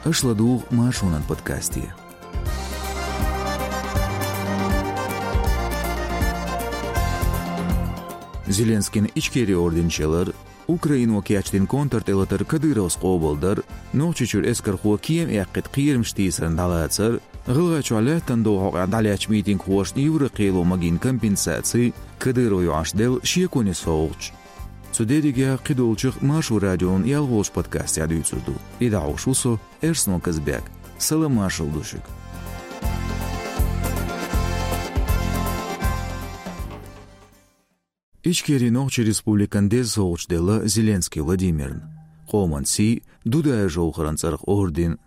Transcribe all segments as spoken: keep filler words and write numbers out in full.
Аша ладугӀу Маршонан подкасте. Зеленскийн Ичкери орден чу ялар, Украино кечдина контртӀелатар Кадыровс къобалдар, Нохчийчуьра эскархо кема эккхийта кхерамаш тийсарна дӀалацар, ГӀалгӀайчохь лаьттан дов хьокъехь дӀалаьцначу митингхошна Европан кхело магийна компенсаций, Кадыров йоӀанаш делла шеконе совгӀаташ. Цу дерригех кхидолчух Маршо радион ялхолгӀачу подкастехь дуьйцур ду. И дӀахьош ву со, Эрсно Казбек. Салам-маршалла ду шуьга. Ичкери Нохчийн Республикан деза совгӀаташ делла Зеленский Владимирна. Къоман сий, Дудаев Жовхаран цӀарах орден.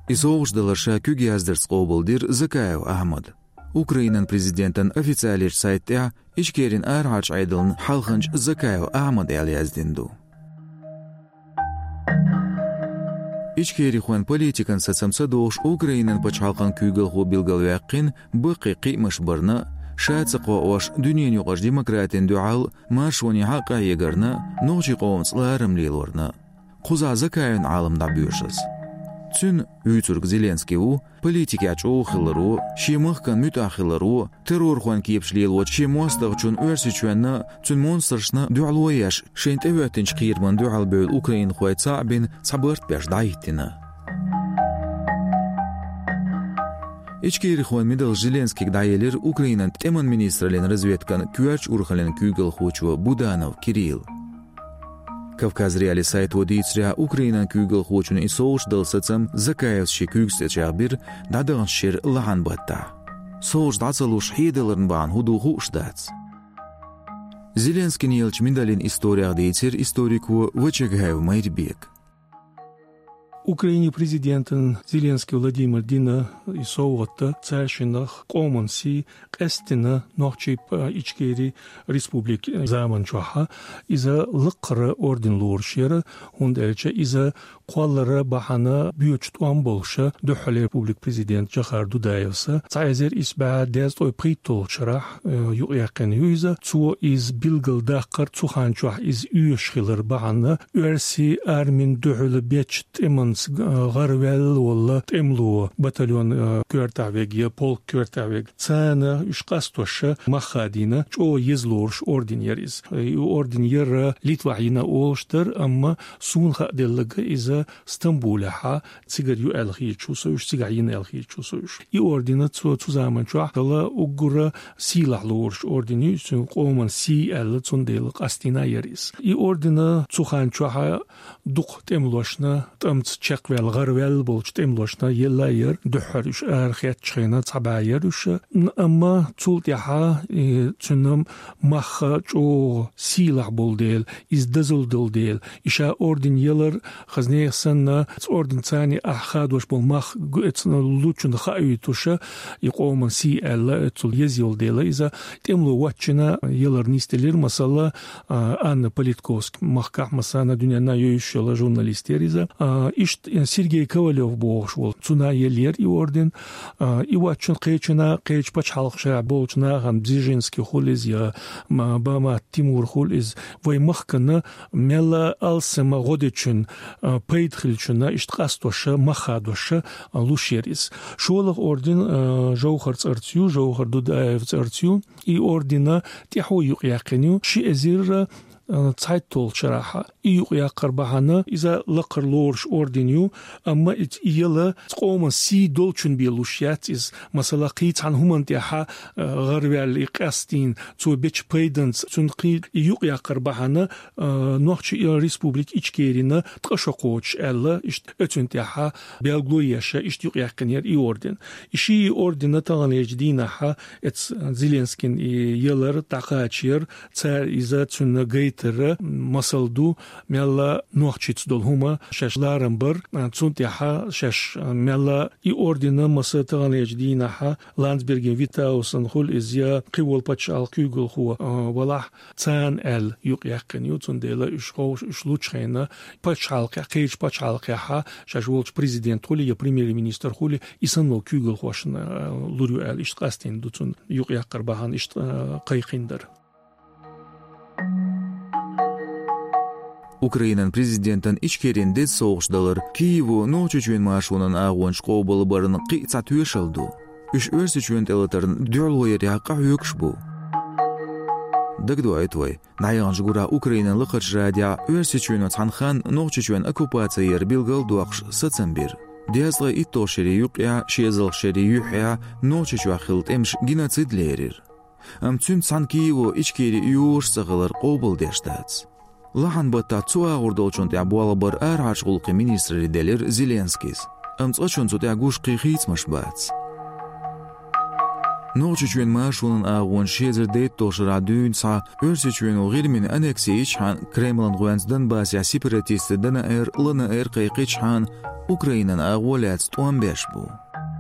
И совгӀаташ далар ша куьг яздарца къобалдира Закаев Ахьмада. Украинан президентан официалечу сайта тӀехь Ичкерин арахьарчу Ӏедална хьалханча Закаев Ахьмад аьлла яздина ду. Ичкерихойн политикан сацам ца дохуш, Украинан пачхьалкхан куьйгалхо билгалваьккхина баккхий кхиамаш барна, ша ца кхоош дуьненаюкъарчу демократина дуьхьал маршонехьа къахьегарна, нохчийн къомаца ларам лелорна. Кхузахь Закаевн Ӏалам дӀабоьрзуш. Цуьнан, вуьйцург Зеленский ву, политикехь чӀогӀа хиларо, шен махкана муьтӀахь хиларо, террорхойн кепаш лелочу шен мостагӀчунна Оьрсийчоьнна, цуьнан монстрашна дуьхьало еш, шайна тӀехӀоьттинчу кхерамна дуьхьал бевлла украинхой цхьаъ бина цхьа барт беш дӀахӀиттина. Ичкерихойн медалш Зеленскийга дӀаелира Украинан тӀеман министраллин разведкан коьртачу урхаллин куьйгалхочо Буданов Кирилла. Кавказ.Реалии сайто дийцарехь, Украинан куьйгалхочун и совгӀаташ дала сацам Закаевс шен куьйгаш тӀе чӀагӀбира дӀадаханчу шеран лахьан баттахь. СовгӀаташ дӀа ца луш хьедаларна бахьана хӀун ду хууш дац. Зеленскийна еллачу медалин историх дийцира историко Вачагаев Майрбека. Украинин президентан Зеленский Владимира дина и совгӀат цаьршиннах къоман сий, къаьсттина Нохчийн, а, Ичкери республикин заман чохь. Иза лакхара орден лоруш яра, хӀунда аьлча иза кхоллара бахьана боьдуш тӀом болуш, дуьххьара республикан президент Жохар Дудаевс цхьа эзар исс бӀе дезткъе пхийтталгӀачу шарахь, э, юкъаяьккхина ю иза. Цо иза билгалдаккхар, цу хан чохь иза оьшуш хилар бахьана, оьрсийн армин дуьхьал бечу тӀеманца, э, гӀараваьлла волу тӀемало, батальон, э, коьртехь верг я полк коьртехь верг. Царна уьш къастош мах хадийна, чӀогӀа еза лоруш орден яра иза. И орден яра Литвахь йина олуш дара, амма суна хааделларг иза Стамбулехь цигара ю аьлла хеташ ву со уьш, цигахь йина аьлла хеташ ву со уьш. И орден цо цу заман чохь дала уггар сийлахь лоруш орден ю, цуьнан къоман сий аьлла, цундела къастийна яра иза. И орден цу хан чохь дукха тӀемалошна, тӀамца чекхваьлла, гӀараваьлла болчу тӀемалошна елла яра, дуьххьара уьш арахецначу хенахь цхьа бӀе яра уьш. Н-, амма цул тӀаьхьа, э, цуьнан мах чӀогӀа сийлахь болу дела, иза дозалла долу дела, и ша орден ялар, хаза нехан санна, цу орденца цхьаьна ахь хадош болу мах гу-, эцна лучунна хаийтуш, и къоман сий аьлла, цул еза йолу дела иза тӀемало воцчунна ялар нисделира, масала, а, Анна Политковски, махкахь, массарна дуьненна йовзуш йолу журналист яра иза. А, иштта Сергей Ковалев бохуш волу, цунна еллера и орден. А, и воцчунна кхечунна, кхечу пачхьалкхашкахь болчу нахана, Бжезинский хуьлу иза я, м-, Бамат Тимур хуьлу иза, вайн махкана мелла алсама гӀо дечунна, а, пайда хиллачунна иштта къастош, мах хадош, а, луш яра иза. ШолгӀа орден, а, Жовхар цӀарца ю, Жовхар Дудаев цӀарца ю. И орден тӀаьхьо юкъаяьккхина ю ши эзар, а, цхьайтталгӀачу шарахь. И юкъаяккхар бахьана иза лакхара лоруш орден ю, амма и, и яла къоман сий долчунна бен луш яц иза. Масала, кхин цхьана хӀуманна тӀехь, а, гӀараваьлла и къастийна, цо бечу пайданца, цунна кхин и юкъаяккхар бахьана, а, Нохчийн Республика Ичкерина ткъа шо кхочуш аьлла, иштта оьцунна тӀехь белгало еш, иштта юкъаяьккхина яра и орден. И ши орден таханлерчу дийнахь эцу Зеленскийна и ялар дӀакхачийра, цара иза цунна гайтар масал ду, мелла нохчашца долу хӀума шаьш ларам бар, цунна тӀехь шаьш мелла и орден маса таханлерчу дийнахь Ландсбергин Виттаусна хуьлу иза я кхин волу пачхьалкхан куьйгалхо, а, валахь, царна аьлла юкъаяьккхина ю, цундела уьш ховш, уьш лучу хенахь пачхьалкхехь, кхечу пачхьалкхехь шаьш волчу президент хуьлий я премьер-министр хуьлий, и санна волу куьйгалхошна, а, лур ю аьлла, иштта къастийна ду цунна юкъаяккхар бахьана, иштта, а, кхайкхийна дара. Украинан президентан Ичкерин деза совгӀаташ далар Киево Нохчийчоьнан маршонан агӀонаш къобалбаран кхин а цхьа тоьшалла ду. Уьш Оьрсийчоьнна тӀелатарна дуьхьало ярехь къахьоьгуш бу. Дагадоуьйту вай, дӀаяханчу гурахь Украинан лакхарчу радиохь Оьрсийчоьно цхьана ханна Нохчийчоьнан оккупаци яр билгал а доккхуш сацам бира. Дезткъе итталгӀачу шерийн юккъехь, шозлагӀчу шерийн юьххьехь Нохчийчохь хилла тӀемаш геноцид лерира. Амма цуьнца цхьаьна Киево Ичкери йоьдуш ца хилар къобалдеш дац. Лахьан баттахь цу агӀор долчунна тӀехь болх бар арахьарчу гӀуллакхийн министралле делира Зеленскийс. Амма цкъачунна цу тӀехь гуш кхин хийцамаш бац. Нохчийчоьнан маршонан агӀонаш ши эзар дейтталгӀачу шарахь дуьйна схьа Оьрсийчоьно ГӀирмина аннекси йичхьана, Кремлан гӀоьнца Донбассехь сепаратистийн ДНР, ЛНР кхайкхичхьана, Украинан агӀо лаьцна тӀом беш бу.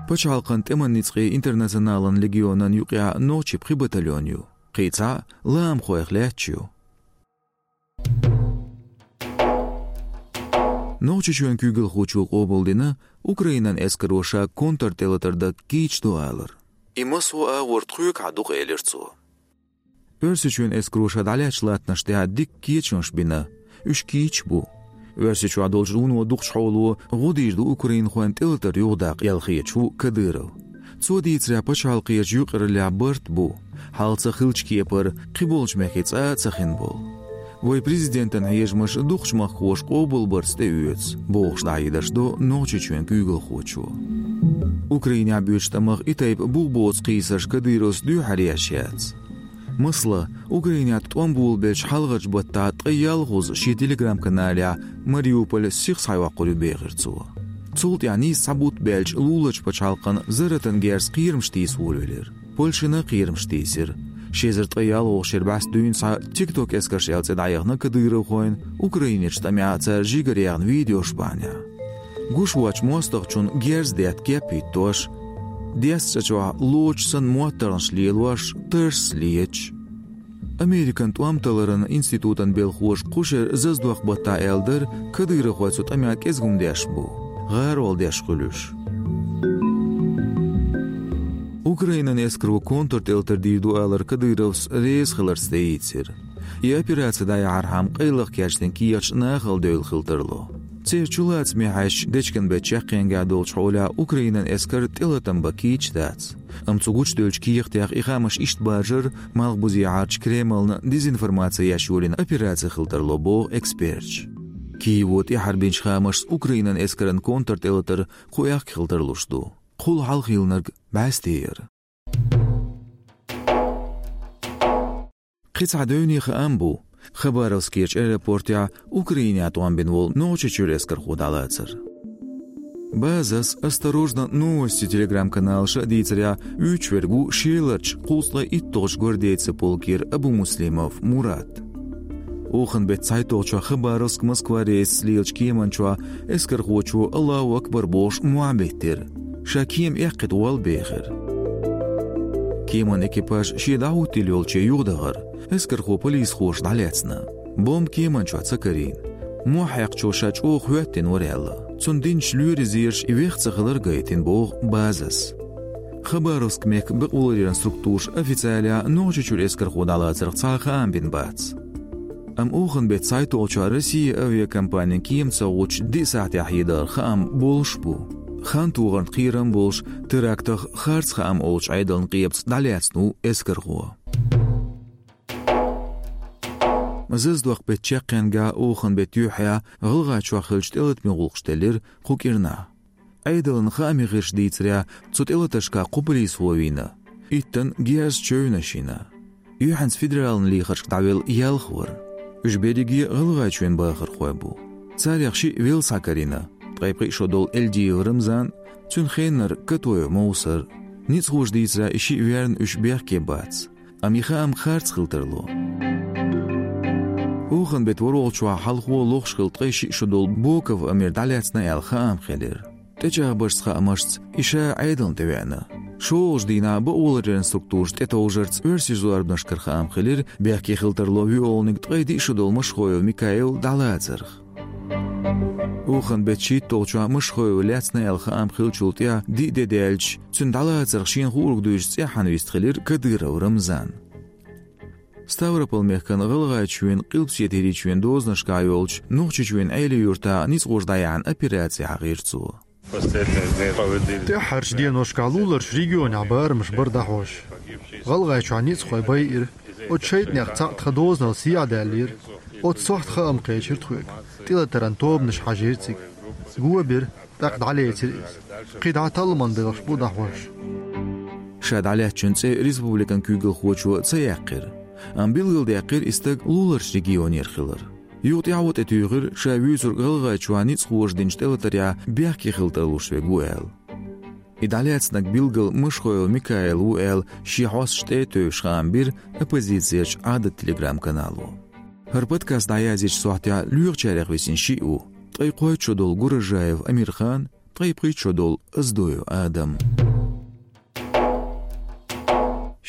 Пачхьалкхан тӀеман ницкъийн Интернационалан легионан юкъахь нохчийн пхи батальон ю. Кхин цхьаъ лаамхойх лаьтташ ю. Нохчийчоьнан куьйгалхочо къобалдина Украинан эскаро ша контртӀелатар дан кийча ду алар. И массо а агӀор тхоьгахьа ду-кх, элира цо. Оьрсийчоьнан эскаро ша дӀалаьцначу латтанаш тӀехь дикка кечамаш бина, уьш кийча бу. Оьрсийчохь долчу вуно дукхачу хьоло гӀо дийр ду украинхойн тӀелатар юхадаккха аьлла хеташ ву Кадыров. Цо дийцарехь, пачхьалкхерчу юкъараллехь барт бу, хьалха ца хиллачу кепара кхиболчу мехкийн цӀа а ца хин болу. Вайн президентан хьежамаш дукхачу махкахоша къобалбарца тӀеоьцу, бохуш дӀахьедаш до Нохчийчоьнан куьйгалхочо. Украинехь боьдучу тӀамах и тайпа бух боцу кхийсарш Кадыровс дуьххьара еш яц. Масала, Украинехь тӀом болабелча хьалхарчу баттахь ткъе ялхазза шен Telegram-каналехь Мариуполь сиха схьайоккхур ю бехира цо. Цул тӀаьхьа нийса цхьа бутт баьлча луларчу пачхьалкхана зарратан герзаца кхерамаш тийса волавелира. Польшина а кхерамаш тийсира. Ши эзар ткъе ялхолгӀачу шеран бӀаьста дуьйна схьа TikTok эскарш аьлла цӀе дӀаяхна кадыровхойн Украинерчу тӀамехь цара жигара яьхна видеош бахьанехь. Гуш воцчу мостагӀчунна герз детта кеп хӀиттош, дезткъа чӀогӀа лочу санна моттаргӀанаш лелош, тарс леташ. Американ тӀом талларан институтан белхоша кху шеран заздоккху баттахь аьлла дара, кадыровхой цу тӀамехь кӀезиг хӀума деш бу, гӀарол деш хуьлуш. Украинан эскаро контртӀелатар дийр ду алар Кадыровс реза хиларца тӀеийцира. И операци дӀаяхьархьама къайлаха кечдина кехаташ нахала девлла хила тарло. Церан чулацаме хьаьжча, дечкен беттан чаккхенгахь долчу хьолехь Украинан эскар тӀелатам бан кийча дац. Амма цу гучудевллачу кехатех и хаамаш иштта баржар, Малхбузехьарчу Кремлна дезинформаци еш йолийна операци хила тарло, боху эксперташа. Киево тӀаьхьара бинчу хаамашца Украинан эскаран контртӀелатар кху аьхка хила тарлуш ду. Кхул хьалха хилларг бӀаьсте яра. Кхин цхьа девне хаам бу, Хабаровскерчу аэропортехь Украинехь тӀом бина волу Нохчийчуьра эскархо дӀалацар. Базас «Осторожно, новости» Telegram-каналаша а дийцарехь, уьйцуш верг ву Шеларчу кхузткъе итталгӀачу гвардейцийн полкера Абумуслимов Мурат. Оханан беттан цхьайтталгӀачохь Хабаровск – Москва рейсаца лелачу кеман чохь эскархочо «Аллаху акбар» бохуш мохь биттира. Ша кема эккхийта волла бехира. Кеман экипаж шен дӀахӀуттийла йолче юхадахара, эскархо полисхоша дӀалаьцна. Бомба кеман чохь ца карийна. Мохь хьекхчо ша чӀогӀа хӀоьттина вара аьлла. Цунна динчу лоьрийн зераша и веха ца хилар гайтина, боху Базас. Хабаровск мехкан бакъоларъяран структураша официалехь Нохчийчуьра эскархо дӀалацарх цхьа а хаам бина бац. Амма оханан беттан цхьайтталгӀачохь Россия авиакомпанин кема ца гӀуттуш диъ сахьтехь хьедахара хаам болуш бу. Хан тохарна кхерам болуш, терактах харц хаам олучу Ӏедалан къепаца дӀалаьцна ву эскархо. Заздоккху беттан чаккхенгахь оханан беттан юьххьехь ГӀалгӀайчохь хиллачу тӀелатаман гӀуллакхаш делира кху кӀирнахь. Ӏедалан хааман хьаьжчаша дийцарехь, цу тӀелатаршкахь кхо полисхо вийна. Иттанна герз чевнаш йина. Юьхьанца федералан лехаршка дӀавелла ялх вара. Уьш берриге ГӀалгӀайчоьнан бахархой бу. Царех шиъ велла схьакарийна, ткъе пхи шо долу Эльдиев Рамзан, цуьнан хеннара Катоев Мовсар. Ницкъахоша дийцарехь, и шиъ верна уьш бехке бац. Амма и хаам харц хила тарло. Оханан беттан ворхӀалгӀачохь хьалхо лохуш хилла ткъе шиъ шо долу Боков Амир дӀалаьцна аьлла хаам хилира. ТӀечӀагӀбаршца хаамашца, и ша Ӏедална тӀевеана. ШолгӀачу дийнахь бакъоларъяран структураша тӀетовжарца оьрсийн зорбанашкара хаам хилира, бехке хила тарло виолниг ткъе диъ шо долу Машхоев Микаил дӀалацарх. Оханан беттан шийтталгӀачохь Машхоев лаьцна аьлла хаам хиллачул тӀаьхьа диъ де даьлча, цуьнан дӀалацарх шена хуург дуьйцуш цӀеххьана вистхилира Кадыров Рамзан. Ставрополь-мехкан ГӀалгӀайчоьнан, Къилбаседа ХӀирийчоьнан дозанашкахь йолчу Нохчийчоьнан Ӏелин-Юьртахь ницкъ вожа дӀаяьхьна операци хьахийра цо. ТӀаьххьарчу деношкахь луларчу регионехь барамаш бара дӀахьош. ГӀалгӀайчохь ницкъахой байира, оцу шайтӀанех цхьаъ тхан дозанал сехьа даьллера, оцу сохьта хаам кхечира тхоьга, тӀелатаран тобанаш хьажийра цига. Го бира, тӀаккха дӀалецира иза. Кхин дӀа талламан белхаш бу дӀахьош. Ша дӀалаьцначун цӀе республикан куьйгалхочо ца яьккхира, амма билгалдаьккхира и стаг луларчу регионера хилар. Юха тӀаьхьо тӀетуьйхира, ша вуьйцург ГӀалгӀайчохь ницкъ вожа динчу тӀелатарехь бехке хила тарлуш верг ву аьлла. И дӀалаьцнарг билггал Машхоев Микаил ву аьлла, шен хьосташна тӀе а тевжаш, хаам бира оппозицерчу Ӏадат телеграм-канало. ХӀара подкаст дӀаязъечу сохьтехь лоьхучарех висина шиъ ву: ткъе кхойтта шо долу Гуражаев Амирхан, ткъе пхийтта шо долу Оздоев Адам.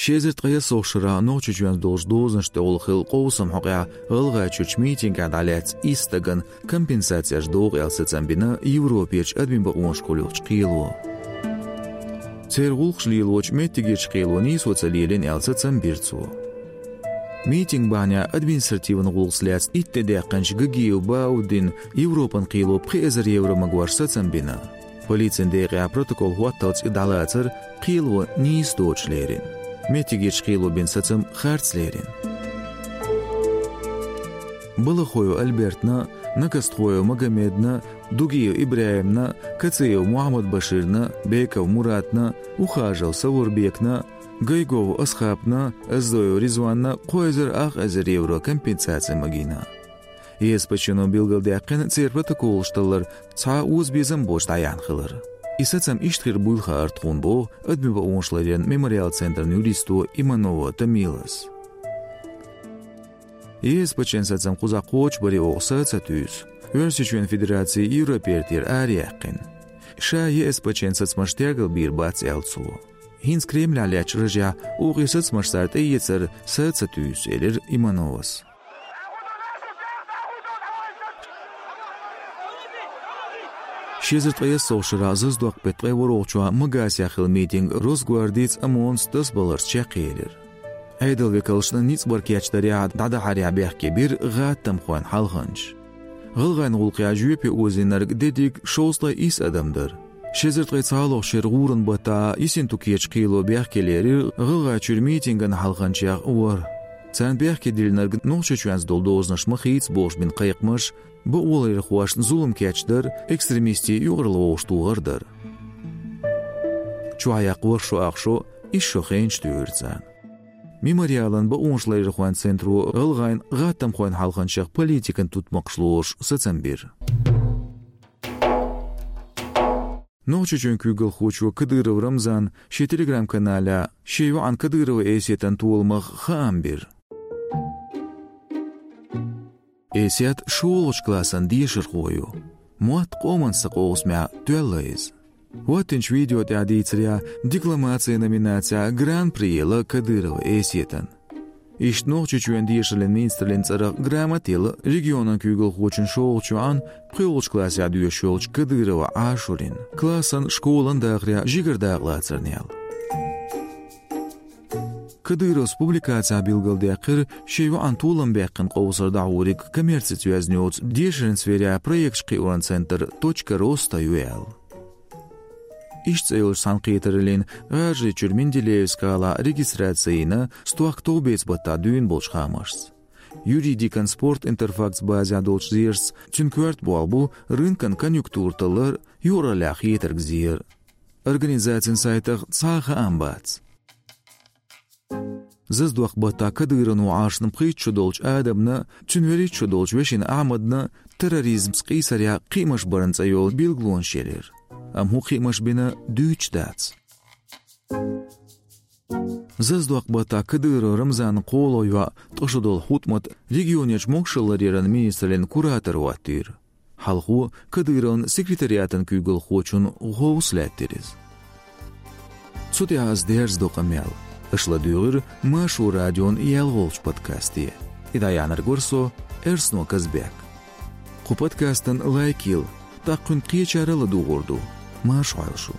Ши эзар ткъе ялхалгӀачу шарахь Нохчийчоьнца долчу дозанашна тӀехула хилла къовсам хьокъехь ГӀалгӀайчуьрчу митингехь дӀалаьцна исс стагана компенсацеш догӀу аьлла сацам бина Европерчу адамийн бакъонаш кхуллучу кхело. Церан гӀуллакхаш лелочу меттигерчу кхело нийсо ца лелийна аьлла сацам бира цо. Митинг бахьанехь административан гӀуллакхца лаьцна итт де даьккхинчу Гагиев Баудин Европан кхело пхи эзар евро магош сацам бина. Полицин декъехь протокол хӀотталц и дӀалацар кхело нийса доцуш лерина. Меттигерчу кхело бина сацам харц лерина. Балахоев Альбертна, Накастхоев Магомедна, Дугиев ИбрахӀимна, Кациев Мухьаммад-Баширна, Беков Муратна, Ухажев Савурбекна, Гайгов Асхапна, Оздоев Ризванна кхо эзар ах эзар евро компенсаци магийна. ЕСПЧ-но билгалдаьккхина церан протоколаш таллар цхьа озабезам боцуш дӀаяьхьна хилар. И сацам иштта хир буйла хаьара тхуна, боху адамийн бакъонаш ларъяран мемориал центран юристо Иманова Тамилас. ЕСПЧ-н сацам кхузахь кхочушбаре оха са а ца туьйсу. Оьрсийчоьнан Федераци Европертера араяьккхина. Ша ЕСПЧ-н сацамаш тергалбийр бац, аьлла цо. ХӀинца Кремлехь лаьттачу рожехь оха и сацамаш цара тӀеэцар са а ца туьйсу, элира Имановас. Ши эзар ткъе ялхалгӀачу шарахь Заздокъ-беттан ткъе ворхӀалгӀачохь Магасехь хилла митинг Росгвардица, ОМОН-ца тасабаларца чекхъелира. Ӏедалан векалшна ницкъ бар кечдарехь, дӀадахьарехь бехке бира гӀаттамхойн хьалханчаш. ГӀалгӀайн гӀуллакхехь жоьпе озийнарг дерриг шовзткъе исс адам дара. Ши эзар ткъе цхьалгӀачу шеран гӀуран баттахь Ессентукерчу кхело бехке лерира ГӀалгӀайчуьра митинган хьалханчех ворхӀ. Царна бехке диллинарг Нохчийчоьнца долу дозанаш ма хийца бохуш бина кхайкхамаш, бакъоларъярхошна зулам кечдар, экстремистийн юкъаралла вовшахтохар дара. Чохь яккха ворхӀ шо ах шо, исс шо хенаш туьйхира царна. Мемориалан бакъонашларъярхойн центро гӀалгӀайн гӀаттамхойн хьалханчех политикан тутмакхаш лоруш сацам бира. Нохчийчоьнан куьйгалхочо Кадыров Рамзана шен телеграм-каналехь шен йоӀан Кадырова Эсетан толамах хаам бира. Эсет шолгӀачу классан дешархо ю. Мотт «Къоман са» къовсамехь тоьлла иза. ХӀоттинчу видео тӀехь дийцарехь, декламацин номинацехь гран-при елла Кадырова Эсетан. Иштта Нохчийчоьнан дешараллин министраллин цӀарах грамота елла регионан куьйгалхочун шолгӀачу йоӀан пхоьалгӀачу классехь доьшуш йолчу Кадырова Ӏашурина. Классан, школан дахарехь жигара дакъалацарна ял. Кадыровс публикацехь билгалдаьккхира, шен йоӀан толам баьккхина къовсар дӀахьуриг коммерцица йоьзна йоцу дешаран сферехь проекташ кхиоран центр «Точка роста» ю аьлла. Иштта цӀе йолчу цхьаьнакхетараллин ГӀажарийчуьра Менделеевскан гӀалахь регистраци йина, стохка товбеца баттахь дуьйна болчу хаамашца. Юридикан спорт Интерфактс базехь долчу зерашца, цуьнан коьрта болх бу рынкан конъюнктура таллар, юкъараллехь хетарг зер. Организацин сайтах цхьа а хаам бац. Заздокъ-баттахь Кадыровна Ӏашна пхийтта шо долчу Адамна, цуьнан вуьрхӀитта шо долчу вешина Ахьмадна терроризмца къийсарехь кхиамаш баран цӀе йолу билгалонаш елира. Амма хӀун кхиамаш бина, дуьйцуш дац. Заздокъ-баттахь Кадыров Рамзанан кхоалгӀа йоӀ, ткъа шо долу ХӀутӀмат регионерчу могашалла ларъяран министраллин куратор хӀоттийра. Хьалхо Кадыровн секретариатан куьйгалхочун хӀовса лаьттира иза. Цу тӀехь ас дерзадо къамел. Аша ладуьйгӀира Маршо радион ялхолгӀачу подкасте. И дӀаяьхьнарг вара со, Эрсно Казбек. Кху подкастан лайк йила, тӀаккха кхуьнан кхечара а ладугӀур ду. Марша Ӏойла шу.